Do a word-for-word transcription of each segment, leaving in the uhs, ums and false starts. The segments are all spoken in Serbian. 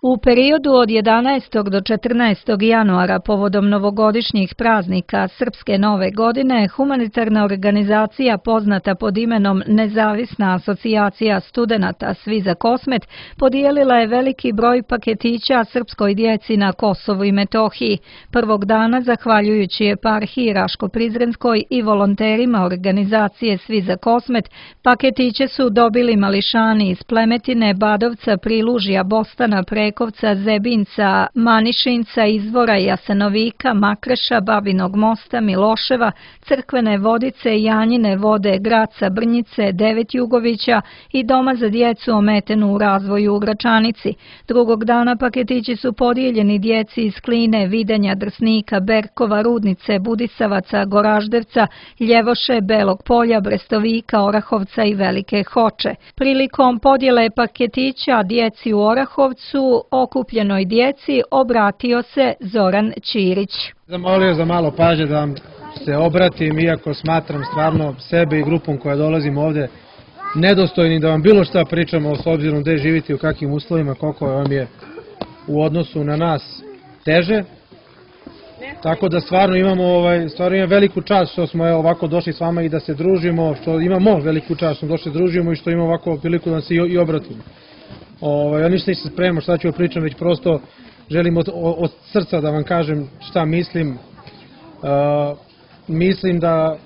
U periodu od jedanaestog do četrnaestog januara povodom novogodišnjih praznika Srpske nove godine, humanitarna organizacija poznata pod imenom Nezavisna asocijacija studenata Svi za Kosmet podijelila je veliki broj paketića srpskoj djeci na Kosovu i Metohiji. Prvog dana, zahvaljujući eparhiji Raško-Prizrenskoj i volonterima organizacije Svi za Kosmet, paketiće su dobili mališani iz Plemetine, Badovca, Prilužja, Bostana, Prekovca, Zebinca, Manišinca, Izvora, Jasenovika, Makreša, Babinog Mosta, Miloševa, Crkvene Vodice, Janjine Vode, Graca, Brnjice, Devetjugovića i Doma za djecu ometenu u razvoju u Gračanici. Drugog dana paketići su podijeljeni djeci iz Kline, Videnja, Drsnika, Berkova, Rudnice, Budisavaca, Goraždevca, Ljevoše, Belog Polja, Brestovika, Orahovca i Velike Hoče. Prilikom podjele paketića djeci u Orahovcu, okupljenoj djeci obratio se Zoran Ćirić. Zamolio za malo pažnje da vam se obratim, iako smatram stvarno sebe i grupom koja dolazim ovde nedostojni da vam bilo šta pričamo s obzirom gde živite i u kakvim uslovima, koliko vam je u odnosu na nas teže. Tako da stvarno imamo, ovaj, stvarno imamo veliku čast što smo evo, ovako došli s vama i da se družimo, što imamo veliku čast što došli družimo i što imamo ovako priliku da se i, i obratimo. Ovaj, ja ništa se spremam šta ću pričam, već prosto želim od, od srca da vam kažem šta mislim. Uh, mislim da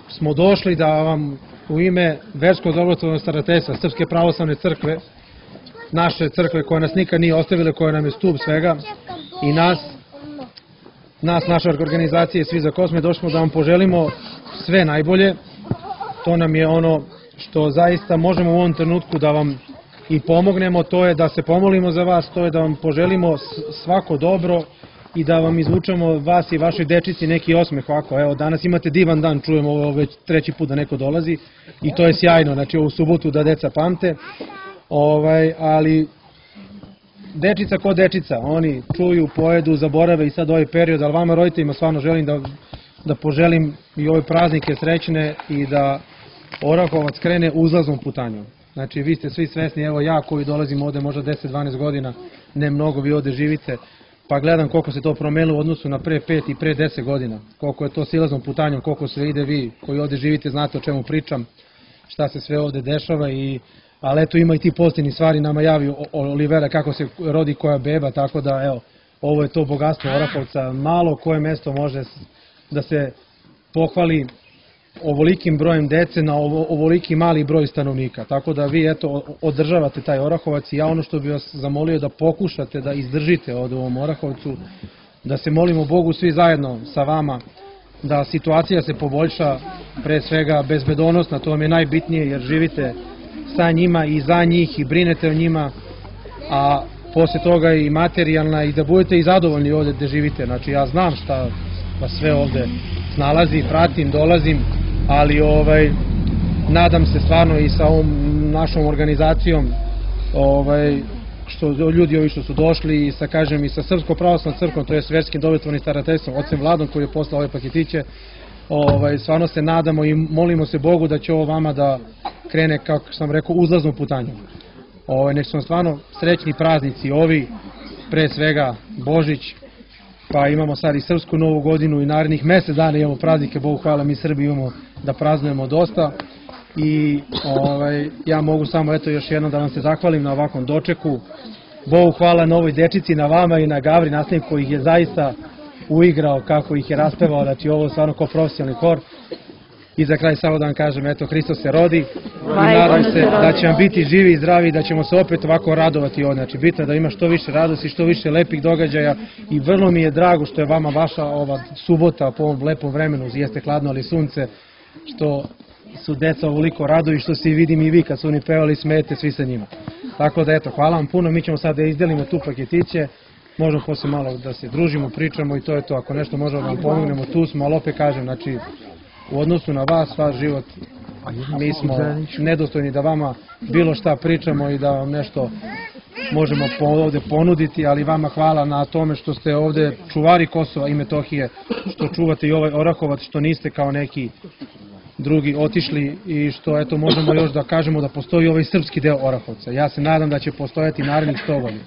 smo došli da vam u ime Verskog dobrotvornog starateljstva Srpske pravoslavne crkve, naše crkve koja nas nikad nije ostavila, koja nam je stup svega, i nas, nas, naša organizacija Svi za Kosmet, došli smo da vam poželimo sve najbolje. To nam je ono što zaista možemo u ovom trenutku da vam i pomognemo, to je da se pomolimo za vas, to je da vam poželimo svako dobro i da vam izvučemo vas i vašoj dečici neki osmeh ovako. Evo, danas imate divan dan, čujemo ovo već treći put da neko dolazi i to je sjajno, znači ovu subotu da deca pamte. Ovaj, ali dečica ko dečica, oni čuju, pojedu, zaborave i sad ovaj period, ali vama roditeljima stvarno želim da, da poželim i ove praznike srećne i da Orahovac krene uzlaznom putanjom. Znači vi ste svi svesni, evo ja koji dolazim ovde možda deset do dvanaest godina, ne mnogo, vi ovde živite, pa gledam koliko se to promenilo u odnosu na pre pet i pre deset godina, koliko je to silaznom putanjom, koliko sve ide, vi koji ovde živite znate o čemu pričam, šta se sve ovde dešava, i, ali eto ima i ti pozitivni stvari, nama javi Olivera kako se rodi koja beba, tako da evo, ovo je to bogatstvo Orahovca, malo koje mesto može da se pohvali ovolikim brojem dece na ovoliki mali broj stanovnika. Tako da vi eto održavate taj Orahovac i ja ono što bih vas zamolio da pokušate da izdržite od ovom Orahovcu, da se molimo Bogu svi zajedno sa vama, da situacija se poboljša, pre svega bezbedonosna, to vam je najbitnije jer živite sa njima i za njih i brinete o njima, a posle toga i materijalna i da budete i zadovoljni ovde gde živite. Znači ja znam šta vas sve ovde nalazi, pratim, dolazim, ali ovaj, nadam se stvarno i sa ovom našom organizacijom, ovaj, što ljudi ovi što su došli i sa, kažem, i sa Srpskom pravoslavnom crkvom, to je Verskim dobrotvornim starateljstvom, ocem Vladom koji je poslao ove paketiće, ovaj, stvarno se nadamo i molimo se Bogu da će ovo vama da krene, kako sam rekao, uzlaznom putanjom. Ovaj, nek su vam stvarno srećni praznici ovi, pre svega Božić, pa imamo sad i Srpsku novu godinu i narednih mesec dana imamo praznike, Bogu hvala, mi Srbi imamo da praznujemo dosta i ovaj, ja mogu samo eto još jednom da vam se zahvalim na ovakvom dočeku. Bogu hvala na ovoj dečici, na vama i na Gavri nastavniku koji ih je zaista uigrao kako ih je raspevao, znači ovo stvarno kao profesionalni hor. I za kraj samo da vam kažem, eto, Hristos se rodi i nadam se da će vam biti živi i zdravi i da ćemo se opet ovako radovati ovdje. Znači, bitno je da ima što više radosti, što više lepih događaja i vrlo mi je drago što je vama vaša ova subota po ovom lepom vremenu, jeste hladno ali sunce, što su deca ovoliko raduju i što se vidim i vi kad su oni pevali, smete svi sa njima. Tako da eto, hvala vam puno, mi ćemo sad da izdelimo tu paketiće, možemo posle malo da se družimo, pričamo i to je to, ako nešto možemo da vam pomognemo, tu smo, ali opet kažem, znači, u odnosu na vas, vaš život, mi smo nedostojni da vama bilo šta pričamo i da vam nešto možemo ovde ponuditi, ali vama hvala na tome što ste ovde čuvari Kosova i Metohije, što čuvate i ovaj Orahovac, što niste kao neki drugi otišli i što eto možemo još da kažemo da postoji ovaj srpski deo Orahovca. Ja se nadam da će postojati narednih sto godina.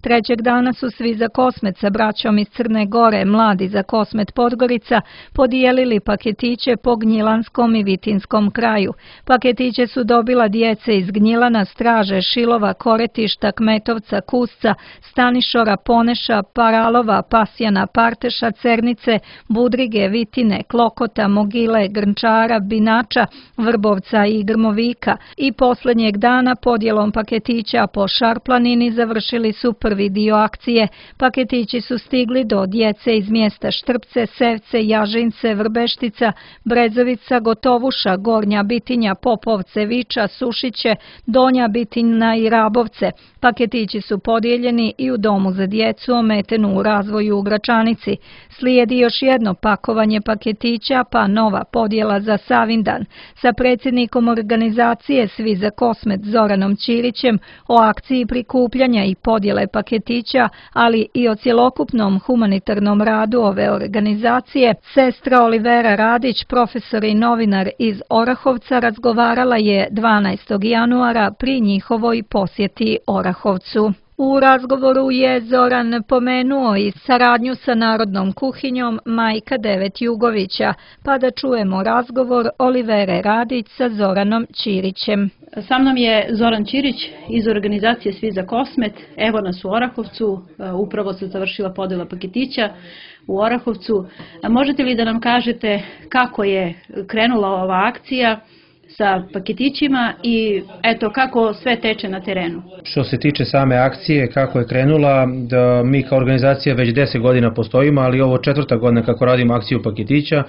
Trećeg dana su svi za Kosmet sa braćom iz Crne Gore, mladi za Kosmet Podgorica, podijelili paketiće po Gnjilanskom i Vitinskom kraju. Paketiće su dobila djece iz Gnjilana, Straže, Šilova, Koretišta, Kmetovca, Kusca, Stanišora, Poneša, Paralova, Pasjana, Parteša, Cernice, Budrige, Vitine, Klokota, Mogile, Grnčara, Binača, Vrbovca i Grmovika. I posljednjeg dana podjelom paketića po Šarplanini završili su prvi dio akcije. Paketići su stigli do djece iz mjesta Štrpce, Sevce, Jažince, Vrbeštica, Brezovica, Gotovuša, Gornja Bitinja, Popovce, Viča, Sušiće, Donja Bitina i Rabovce. Paketići su podijeljeni i u domu za djecu ometenu u razvoju u Gračanici. Slijedi još jedno pakovanje paketića, pa nova podjela za Savindan. Sa predsjednikom organizacije Svi za Kosmet Zoranom Ćirićem o akciji prikupljanja i podjele paketića, ali i o cjelokupnom humanitarnom radu ove organizacije, sestra Olivera Radić, profesor i novinar iz Orahovca, razgovarala je dvanaestog januara pri njihovoj posjeti Orahovcu. U razgovoru je Zoran pomenuo i saradnju sa Narodnom kuhinjom Majka Devet Jugovića, pa da čujemo razgovor Olivere Radić sa Zoranom Ćirićem. Sa mnom je Zoran Ćirić iz organizacije Svi za Kosmet. Evo nas u Orahovcu, upravo se završila podjela paketića u Orahovcu. Možete li da nam kažete kako je krenula ova akcija sa paketićima i eto kako sve teče na terenu? Što se tiče same akcije, kako je krenula, da mi kao organizacija već deset godina postojimo, ali ovo četvrta godina kako radimo akciju paketića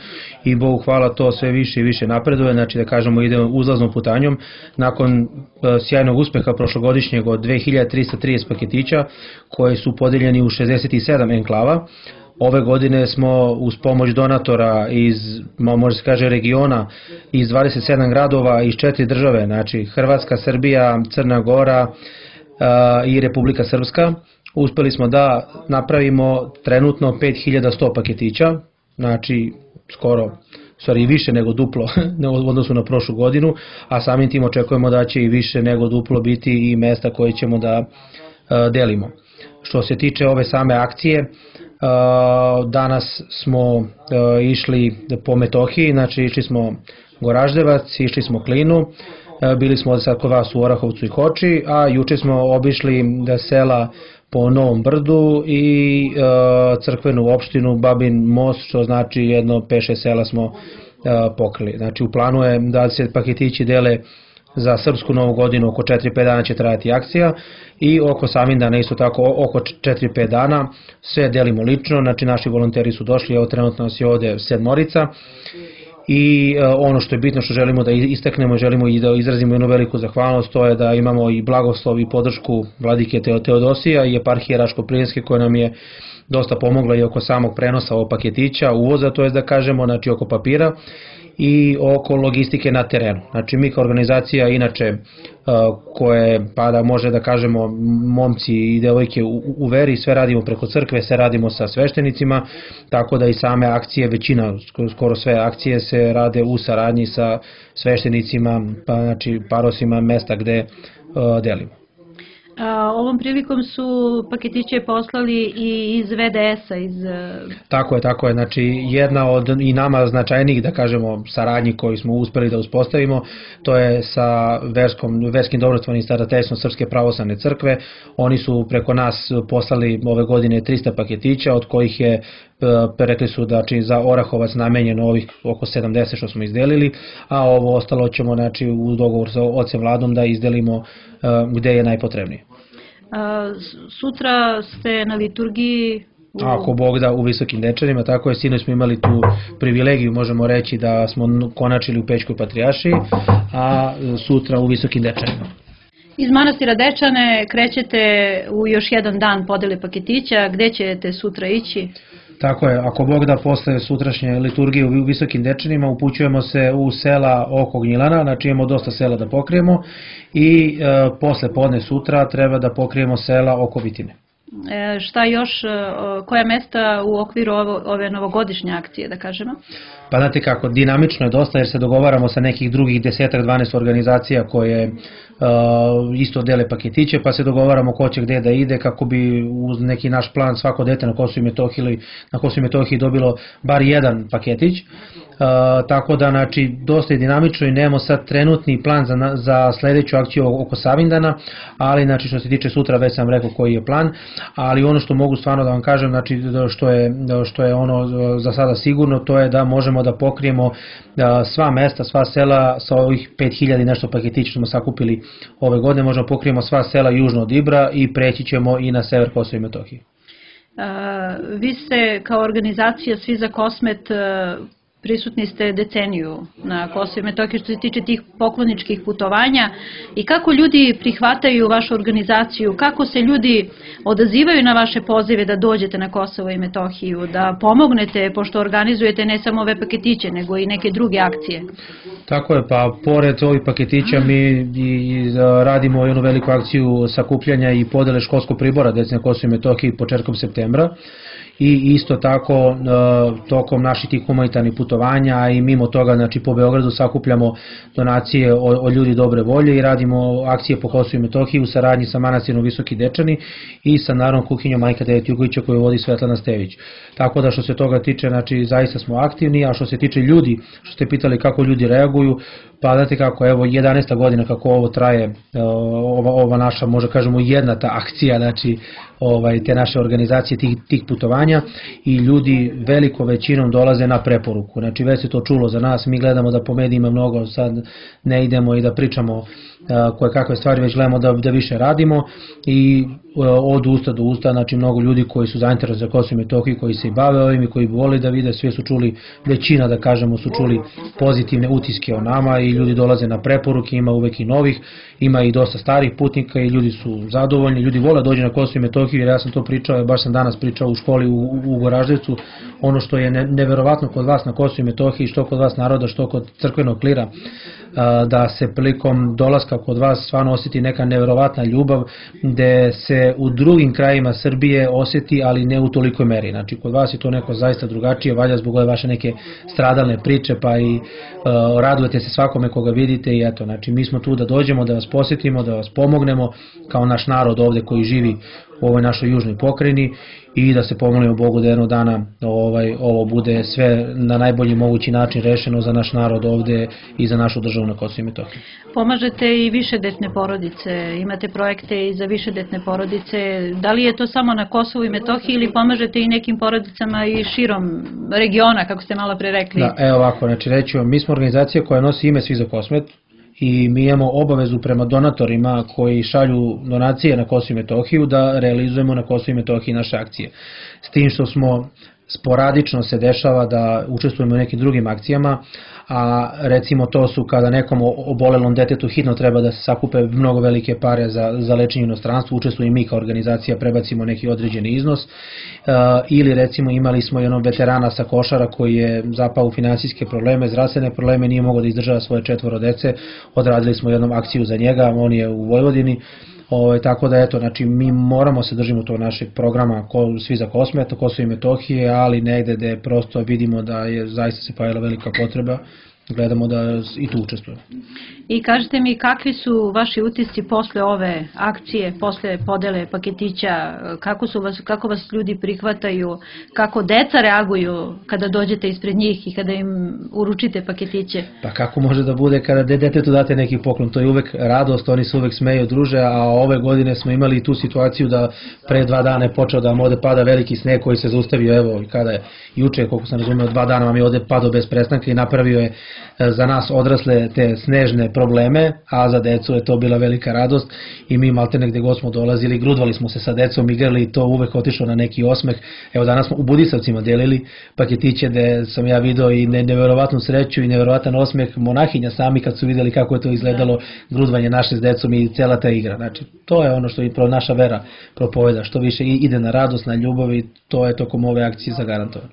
i Bogu hvala to sve više i više napreduje, znači da kažemo idemo uzlaznom putanjom. Nakon sjajnog uspeha prošlogodišnjeg od dve hiljade trista trideset paketića koji su podeljeni u šezdeset sedam enklava, ove godine smo uz pomoć donatora iz, može se kaže, regiona, iz dvadeset sedam gradova iz četiri države, znači Hrvatska, Srbija, Crna Gora i Republika Srpska, uspeli smo da napravimo trenutno pet hiljada sto paketića, znači skoro, stvari više nego duplo u odnosu na prošlu godinu, a samim tim očekujemo da će i više nego duplo biti i mesta koje ćemo da delimo. Što se tiče ove same akcije, danas smo išli po Metohiji, znači išli smo Goraždevac, išli smo Klinu, bili smo sad kod vas u Orahovcu i Hoči, a juče smo obišli sela po Novom Brdu i crkvenu opštinu Babin Most, što znači jedno pet šest sela smo pokrili. Znači u planu je da se paketići dele za srpsku novu godinu, oko četiri pet dana će trajati akcija i oko Savindana isto tako oko četiri pet dana, sve delimo lično, znači naši volonteri su došli, evo trenutno nas je ovde sedmorica i ono što je bitno što želimo da istaknemo, želimo i da izrazimo jednu veliku zahvalnost, to je da imamo i blagoslov i podršku vladike Teodosija i eparhije Raško-Plijenske koja nam je dosta pomogla i oko samog prenosa ovog paketića, uvoza, to je da kažemo, znači oko papira i oko logistike na terenu. Znači mi kao organizacija inače koje, pa da može da kažemo momci i devojke u, u veri, sve radimo preko crkve, sve radimo sa sveštenicima, tako da i same akcije, većina, skoro sve akcije se rade u saradnji sa sveštenicima, pa znači parosima mesta gde uh, delimo. Ovom prilikom su paketiće poslali i iz ve de es a. Iz... Tako je, tako je. Znači jedna od i nama značajnijih, da kažemo, saradnji koji smo uspeli da uspostavimo, to je sa verskom, verskim dobrotvornim starateljstvom Srpske pravoslavne crkve. Oni su preko nas poslali ove godine trista paketića, od kojih je rekli su da znači, za Orahovac namenjeno ovih oko sedamdeset što smo izdelili, a ovo ostalo ćemo znači, u dogovoru sa ocem Vladom da izdelimo uh, gde je najpotrebnije. A, sutra ste na liturgiji u... Ako Bog da, u Visokim Dečanima, tako je, sinoć smo imali tu privilegiju, možemo reći da smo konačili u Pećkoj patrijaršiji, a sutra u Visokim Dečanima. Iz manastira Dečane krećete u još jedan dan podele paketića, gde ćete sutra ići? Tako je, ako Bog da posle sutrašnje liturgije u Visokim Dečanima upućujemo se u sela oko Gnjilana, znači imamo dosta sela da pokrijemo i e, posle podne sutra treba da pokrijemo sela oko Vitine. E, šta još, koja mesta u okviru ovo, ove novogodišnje akcije, da kažemo? Pa znate kako, dinamično je dosta jer se dogovaramo sa nekih drugih desetak dvanaest organizacija koje isto dele paketiće, pa se dogovaramo ko će gde da ide kako bi uz neki naš plan svako dete na Kosovu i Metohiji, na Kosovu i Metohiji dobilo bar jedan paketić. Uh, tako da, znači, dosta je dinamično i nemamo sad trenutni plan za, za sledeću akciju oko Savindana, ali, znači, što se tiče sutra, već sam rekao koji je plan, ali ono što mogu stvarno da vam kažem, znači, što je, što je ono za sada sigurno, to je da možemo da pokrijemo uh, sva mesta, sva sela sa ovih pet hiljada i nešto paketića smo sakupili ove godine, možemo pokrijemo sva sela južno od Ibra i preći ćemo i na sever Kosova i Metohije. Uh, vi ste kao organizacija Svi za Kosmet uh, prisutni ste deceniju na Kosovu i Metohiji što se tiče tih pokloničkih putovanja i kako ljudi prihvataju vašu organizaciju, kako se ljudi odazivaju na vaše pozive da dođete na Kosovo i Metohiju, da pomognete, pošto organizujete ne samo ove paketiće, nego i neke druge akcije. Tako je, pa pored ovih paketića mi i radimo jednu veliku akciju sakupljanja i podele školskog pribora deci na Kosovu i Metohiji početkom septembra. I isto tako tokom naših tih humanitarnih putovanja i mimo toga, znači, po Beogradu sakupljamo donacije od ljudi dobre volje i radimo akcije po Kosovu i Metohiji u saradnji sa manastirom Visoki Dečani i sa Narodnom kuhinjom Majka Devet Jugovića koju vodi Svetlana Stević. Tako da što se toga tiče, znači, zaista smo aktivni, a što se tiče ljudi, što ste pitali kako ljudi reaguju, pa znate kako, evo jedanaesta godina kako ovo traje, ova, ova naša, može kažemo, jedna ta akcija, znači, ovaj, te naše organizacije tih, tih putovanja i ljudi velikom većinom dolaze na preporuku. Znači, već se to čulo za nas, mi gledamo da po medijima mnogo sad ne idemo i da pričamo koje kakve stvari, već gledamo da, da više radimo i od usta do usta, znači mnogo ljudi koji su zainteresovani za Kosovo i Metohiju, koji se i bave ovim i koji bi volili da vide, sve su čuli, većina da kažemo su čuli pozitivne utiske o nama i ljudi dolaze na preporuke, ima uvek i novih, ima i dosta starih putnika i ljudi su zadovoljni, ljudi vole dođe na Kosovo i Metohiju jer ja sam to pričao, baš sam danas pričao u školi u, u Goraždevcu, ono što je ne, neverovatno kod vas na Kosovo i Metohiji, što kod vas naroda, što kod crkvenog klira, da se prilikom dolaska kod vas stvarno osjeti neka neverovatna ljubav, gde se u drugim krajima Srbije osjeti, ali ne u tolikoj meri. Znači, kod vas je to neko zaista drugačije, valjda zbog ove vaše neke stradalne priče, pa i uh, radujete se svakome koga vidite i eto, znači, mi smo tu da dođemo, da vas posjetimo, da vas pomognemo kao naš narod ovde koji živi u ovoj našoj južnoj pokrajini i da se pomolimo Bogu da jednog dana ovaj, ovo bude sve na najbolji mogući način rešeno za naš narod ovde i za našu državu na Kosovu i Metohiji. Pomažete i višedetne porodice, imate projekte i za višedetne porodice, da li je to samo na Kosovu i Metohiji ili pomažete i nekim porodicama i širom regiona, kako ste malo pre rekli? Da, evo ovako, znači reći vam, mi smo organizacija koja nosi ime Svi za Kosmet i mi imamo obavezu prema donatorima koji šalju donacije na Kosovu i Metohiju da realizujemo na Kosovu i Metohiji naše akcije. S tim što smo sporadično se dešava da učestvujemo u nekim drugim akcijama, a recimo to su kada nekom obolelom detetu hitno treba da se sakupe mnogo velike pare za, za lečenje u inostranstvu, učestvujemo i mi kao organizacija, prebacimo neki određeni iznos, uh, ili recimo imali smo jednog veterana sa Košara koji je zapao u finansijske probleme, zdravstvene probleme, nije mogao da izdržava svoje četvoro dece, odradili smo jednom akciju za njega, on je u Vojvodini. O, tako da eto, znači mi moramo se držimo tog našeg programa ko, Svi za Kosmet, Kosovo i Metohije, ali negde gde prosto vidimo da je zaista se pojavila velika potreba, gledamo da i tu učestvujemo. I kažete mi kakvi su vaši utisci posle ove akcije, posle podele paketića, kako, su vas, kako vas ljudi prihvataju, kako deca reaguju kada dođete ispred njih i kada im uručite paketiće? Pa kako može da bude kada detetu date neki poklon, to je uvek radost, oni se uvek smeju, druže, a ove godine smo imali tu situaciju da pre dva dana je počeo da vam ovde pada veliki sneg koji se zaustavio, evo, kada je juče, koliko sam razumeo, dva dana vam je ovde padao bez prestanka i napravio je za nas odrasle te snežne probleme, a za decu je to bila velika radost i mi maltene gde god smo dolazili, grudvali smo se sa decom, igrali i to uvek otišlo na neki osmeh. Evo danas smo u Budisavcima delili paketiće gde sam ja video i neverovatnu sreću i neverovatan osmeh monahinja sami kad su videli kako je to izgledalo grudvanje naše s decom i cela ta igra. Znači to je ono što i naša vera propoveda, što više ide na radost, na ljubav i to je tokom ove akcije zagarantovano.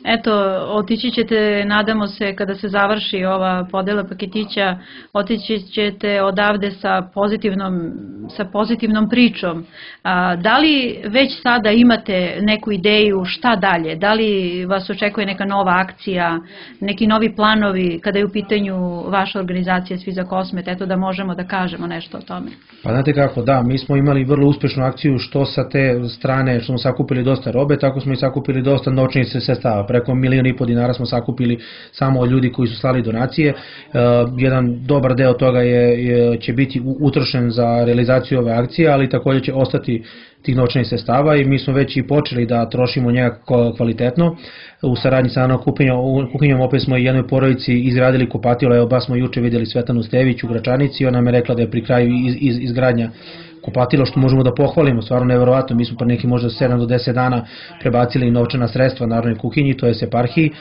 Eto, otići ćete, nadamo se, kada se završi ova podela paketića, otići ćete odavde sa pozitivnom, sa pozitivnom pričom. A, da li već sada imate neku ideju šta dalje? Da li vas očekuje neka nova akcija, neki novi planovi kada je u pitanju vaša organizacija Svi za Kosmet? Eto, da možemo da kažemo nešto o tome. Pa znate kako, da, mi smo imali vrlo uspešnu akciju što sa te strane što smo sakupili dosta robe, tako smo i sakupili dosta novčanih sredstava. Preko milion i po dinara smo sakupili samo od ljudi koji su slali donacije. E, jedan dobar deo toga je, je, će biti utrošen za realizaciju ove akcije, ali također će ostati tih novčanih sredstava i mi smo već i počeli da trošimo njega kvalitetno. U saradnji sa Anom Kuhinjom opet smo i jednoj porodici izgradili kupatilo, evo baš smo juče vidjeli Svetanu Stević u Gračanici, ona nam je rekla da je pri kraju iz, iz, izgradnja kupatilo, što možemo da pohvalimo, stvarno neverovatno. Mi smo pre neki možda sedam do deset dana prebacili novčana sredstva Narodnoj kuhinji, to je eparhiji,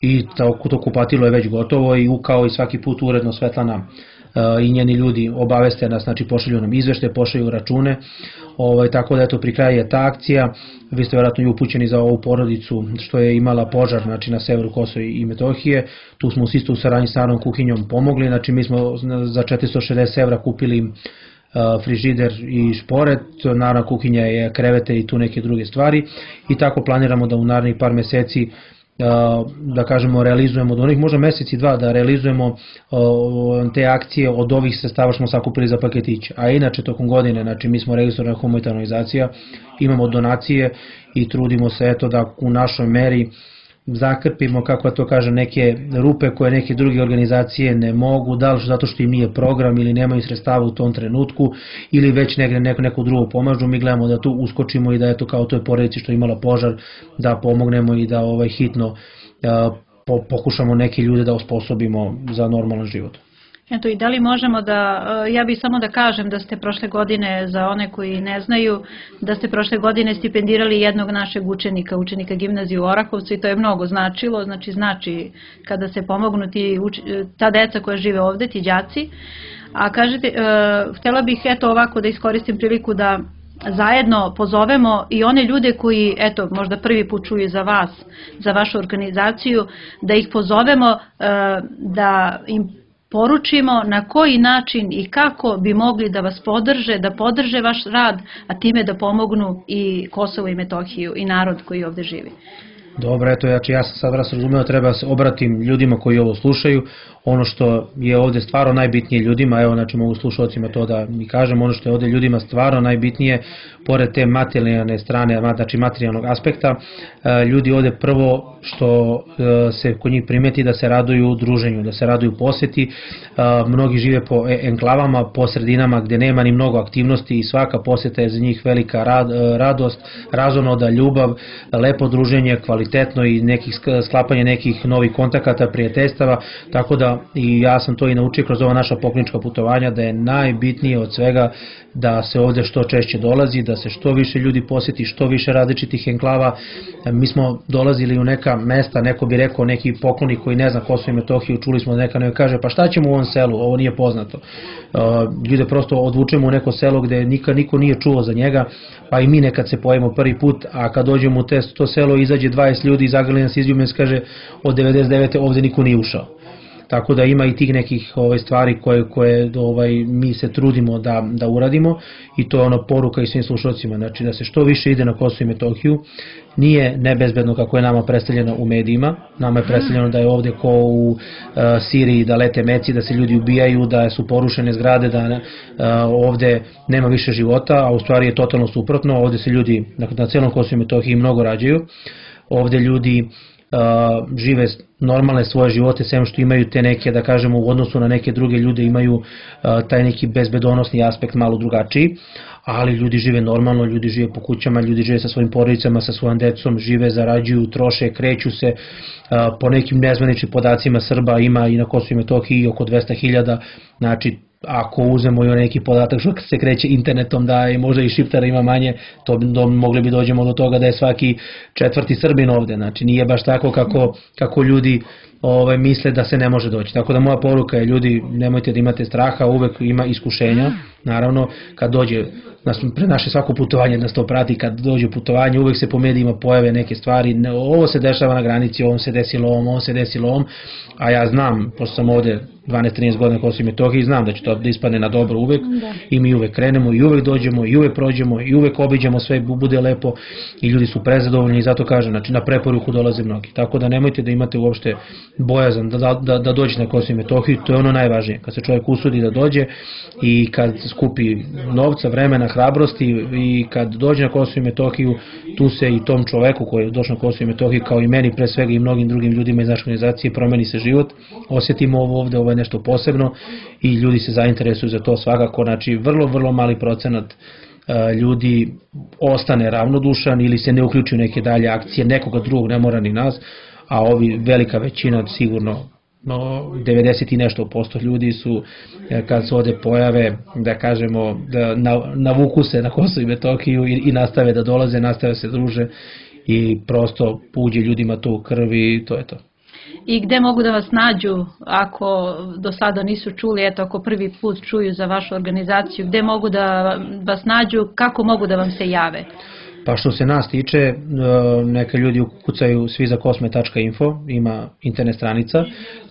i to, to kupatilo je već gotovo i kao i svaki put uredno Svetlana i njeni ljudi obaveste nas, znači pošalju nam izvešte, pošalju račune, ovaj, tako da eto pri kraju je ta akcija. Vi ste vjerojatno i upućeni za ovu porodicu što je imala požar, znači na severu Kosova i Metohije, tu smo isto u saradnji sa Narodnom kuhinjom pomogli, znači mi smo za četiristo šezdeset evra kupili frižider i šporet, Narodna kuhinja je krevete i tu neke druge stvari i tako planiramo da u narednih par meseci da kažemo realizujemo, od onih možda mesec i dva da realizujemo te akcije od ovih sredstava što smo sakupili za paketiće. A inače tokom godine, znači mi smo registrovana humanitarna organizacija, imamo donacije i trudimo se eto da u našoj meri zakrpimo, kako to kaže, neke rupe koje neke druge organizacije ne mogu, da li zato što im nije program ili nemaju sredstava u tom trenutku ili već negde neko, neko drugo pomažu. Mi gledamo da tu uskočimo i da eto kao toj porodici što je imala požar da pomognemo i da ovaj hitno uh, po, pokušamo neke ljude da osposobimo za normalan život. Eto, i da li možemo da, ja bih samo da kažem da ste prošle godine, za one koji ne znaju, da ste prošle godine stipendirali jednog našeg učenika, učenika gimnazije u Orahovcu i to je mnogo značilo, znači znači kada se pomognu ti, ta deca koja žive ovde, ti đaci. A kažete, htjela bih eto ovako da iskoristim priliku da zajedno pozovemo i one ljude koji, eto, možda prvi put čuju za vas, za vašu organizaciju, da ih pozovemo da im poručimo na koji način i kako bi mogli da vas podrže, da podrže vaš rad, a time da pomognu i Kosovo i Metohiju i narod koji ovde živi. Dobro, eto, znači ja sam sad vas razumeo, treba se obratim ljudima koji ovo slušaju. Ono što je ovde stvarno najbitnije ljudima, evo znači mogu slušalcima to da mi kažem, ono što je ovde ljudima stvarno najbitnije, pored te materijalne strane, znači materijalnog aspekta, ljudi ovde prvo što se kod njih primeti da se raduju druženju, da se raduju poseti. Mnogi žive po enklavama, po sredinama gde nema ni mnogo aktivnosti i svaka poseta je za njih velika rad, radost, razonoda, ljubav, lepo druženje, kvalitetno i nekih sklapanje nekih novih kontakata, prijateljstava, tako da i ja sam to i naučio kroz ova naša poklonička putovanja, da je najbitnije od svega da se ovde što češće dolazi, da se što više ljudi poseti, što više različitih enklava. Mi smo dolazili u neka mesta, neko bi rekao, neki pokloni koji ne zna Kosovo i Metohiju, čuli smo da neka ne kaže pa šta ćemo u ovom selu, ovo nije poznato. Ljude prosto odvučemo u neko selo gde nikad niko nije čuo za njega, pa i mi nekad se pojavimo prvi put, a kad dođemo u to selo izađe dvadeset ljudi, zagrli nas izljubim, kaže od devedeset devete ovde niko nije ušao. Tako da ima i tih nekih ovaj, stvari koje, koje ovaj, mi se trudimo da, da uradimo i to je ono poruka i svim slušalcima, znači da se što više ide na Kosovo i Metohiju. Nije nebezbedno kako je nama predstavljeno u medijima, nama je predstavljeno da je ovde ko u uh, Siriji, da lete meci, da se ljudi ubijaju, da su porušene zgrade, da uh, ovde nema više života, a u stvari je totalno suprotno, ovde se ljudi na, na celom Kosovu i Metohiji mnogo rađaju, ovde ljudi Uh, žive normalne svoje živote, sem što imaju te neke, da kažemo, u odnosu na neke druge ljude imaju uh, taj neki bezbedonosni aspekt malo drugačiji, ali ljudi žive normalno, ljudi žive po kućama, ljudi žive sa svojim porodicama, sa svojom decom, žive, zarađuju, troše, kreću se. Uh, po nekim nezvaničnim podacima Srba ima i na Kosovu i Metohiji oko dvesta hiljada, znači ako uzmemo i neki podatak što se kreće internetom da je možda i Šiptara ima manje, to bi, do, mogli bi dođemo do toga da je svaki četvrti Srbin ovde, znači nije baš tako kako, kako ljudi ovaj, misle da se ne može doći. Tako da moja poruka je, ljudi, nemojte da imate straha, uvek ima iskušenja, naravno, kad dođe, pre naše svako putovanje nas to prati, kad dođe putovanje, uvek se po medijima pojave neke stvari, ovo se dešava na granici, ovo se desilo ovom, ovo se desilo ovom, a ja znam, pošto sam ovde dvanaest trinaest godina na Kosovu i Metohiji, znam da će to da ispadne na dobro uvek i mi uvek krenemo i uvek dođemo i uvek prođemo i uvek obiđemo sve, bude lepo i ljudi su prezadovoljni i zato kažem, znači na preporuku dolaze mnogi. Tako da nemojte da imate uopšte bojazan da, da, da dođete na Kosovu i Metohiju, to je ono najvažnije, kad se čovjek usudi da dođe i kad skupi novca, vremena, hrabrosti i kad dođe na Kosovu i Metohiju, tu se i tom čoveku koji je došao na Kosovu i Metohiju, kao i meni pre svega i mnogim drugim ljudima iz naše organizacije, promeni se život, osjetimo ovo ovde, ovo je nešto posebno i ljudi se zainteresuju za to svakako, znači vrlo, vrlo mali procenat ljudi ostane ravnodušan ili se ne uključi u neke dalje akcije, nekoga drugog, ne mora ni nas, a ovi velika većina sigurno devedeset i nešto posto ljudi su, kad se ovde pojave, da kažemo, da navuku se na Kosovo i Metohiju i nastave da dolaze, nastave se druže i prosto uđe ljudima to u krvi i to je to. I gde mogu da vas nađu ako do sada nisu čuli, eto ako prvi put čuju za vašu organizaciju, gde mogu da vas nađu, kako mogu da vam se jave? Pa što se nas tiče, neka ljudi ukucaju svi za kosmet tačka info, ima internet stranica,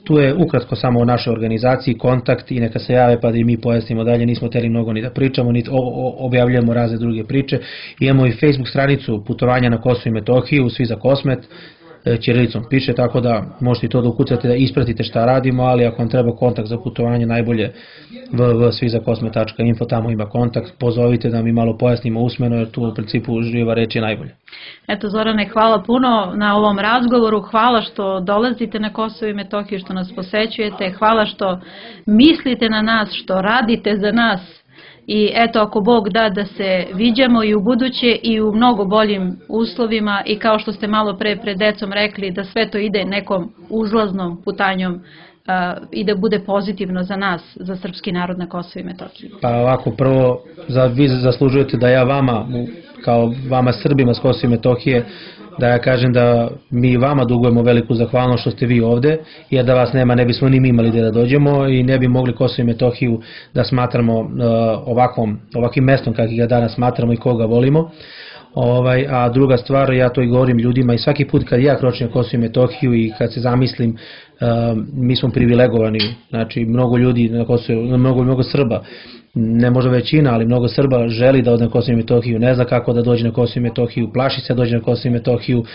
tu je ukratko samo o našoj organizaciji, kontakt i neka se jave pa da i mi pojasnimo dalje, nismo hteli mnogo ni da pričamo, ni objavljujemo razne druge priče, imamo i Facebook stranicu putovanja na Kosovo i Metohiju, svi za Kosmet, ćirilicom piše, tako da možete i to da ukucate, da ispratite šta radimo, ali ako vam treba kontakt za putovanje, najbolje w w w tačka svi za kosmet tačka info, tamo ima kontakt, pozovite da mi malo pojasnimo usmeno, jer tu u principu živa reč je najbolje. Eto Zorane, hvala puno na ovom razgovoru, hvala što dolazite na Kosovo i Metohiju, što nas posećujete, hvala što mislite na nas, što radite za nas. I eto, ako Bog da da se viđamo i u buduće i u mnogo boljim uslovima i kao što ste malo pre pred decom rekli, da sve to ide nekom uzlaznom putanjom i da bude pozitivno za nas, za srpski narod na Kosovu i Metohiji. Pa ovako, prvo, vi zaslužujete da ja vama, kao vama Srbima s Kosova i Metohije, da ja kažem da mi vama dugujemo veliku zahvalnost što ste vi ovde, jer da vas nema ne bismo ni mi imali gde da dođemo i ne bi mogli Kosovo i Metohiju da smatramo ovakvom, ovakvim mestom kakvim ga danas smatramo i koga volimo. Ovaj, a druga stvar, ja to i govorim ljudima i svaki put kad ja kročim na Kosovo i Metohiju i kad se zamislim, uh, mi smo privilegovani, znači mnogo ljudi na Kosovo, mnogo, mnogo Srba, ne možda većina, ali mnogo Srba želi da ode na Kosovo i Metohiju, ne zna kako da dođe na Kosovo i Metohiju, plaši se da dođe na Kosovo i Metohiju, uh,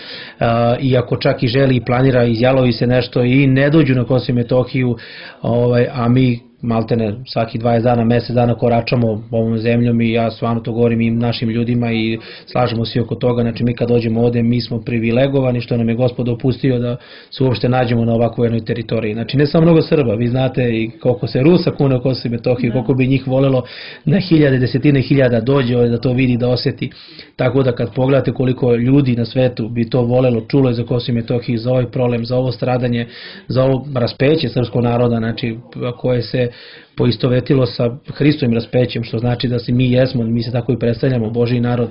i ako čak i želi i planira, izjalovi se nešto i ne dođu na Kosovo i Metohiju, ovaj, a mi maltene svaki dvadeset dana, mesec dana koračamo ovom zemljom i ja stvarno to govorim i našim ljudima i slažemo svi oko toga, znači mi kad dođemo ovde mi smo privilegovani što nam je Gospod dopustio da se uopšte nađemo na ovakvoj jednoj teritoriji, znači ne samo mnogo Srba, vi znate i koliko se Rusa kune u Kosovo i Metohiju, koliko bi njih volelo na hiljade, desetine hiljada dođe ovde da to vidi, da osjeti, tako da kad pogledate koliko ljudi na svetu bi to volelo, čulo je za Kosovo i Metohiju, za ovaj problem, za ovo stradanje, za ovo raspeće srpskog naroda, znači koje se poistovetilo sa Hristovim raspećem, što znači da se mi jesmo, mi se tako i predstavljamo, Božji narod.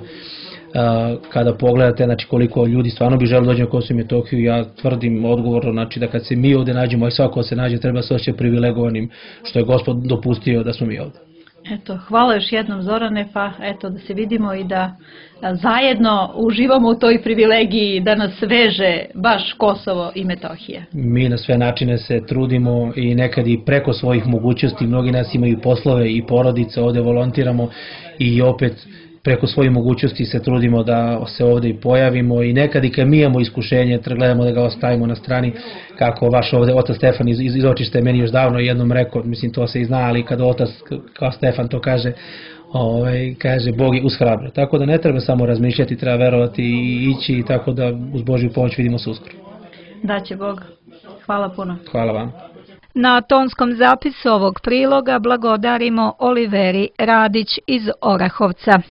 Kada pogledate, znači koliko ljudi stvarno bi želelo dođe na Kosovo i Metohiju, ja tvrdim odgovorno, znači da kad se mi ovde nađemo, a svako se nađe, treba se osjećati privilegovanim što je Gospod dopustio da smo mi ovde. Eto, hvala još jednom Zorane, pa eto da se vidimo i da zajedno uživamo u toj privilegiji da nas veže baš Kosovo i Metohija. Mi na sve načine se trudimo i nekad i preko svojih mogućnosti, mnogi nas imaju poslove i porodice, ovde volontiramo i opet preko svojih mogućnosti se trudimo da se ovde i pojavimo i nekad i kad mi imamo iskušenje, gledamo da ga ostavimo na strani, kako vaš ovde otac Stefan iz, iz Očište meni još davno jednom rekao, mislim to se i zna, ali kad otac kao Stefan to kaže, ovaj, kaže Bog je uz hrabro. Tako da ne treba samo razmišljati, treba verovati i ići, tako da uz Božju pomoć vidimo se uskoro. Daće Bog. Hvala puno. Hvala vam. Na tonskom zapisu ovog priloga blagodarimo Oliveri Radić iz Orahovca.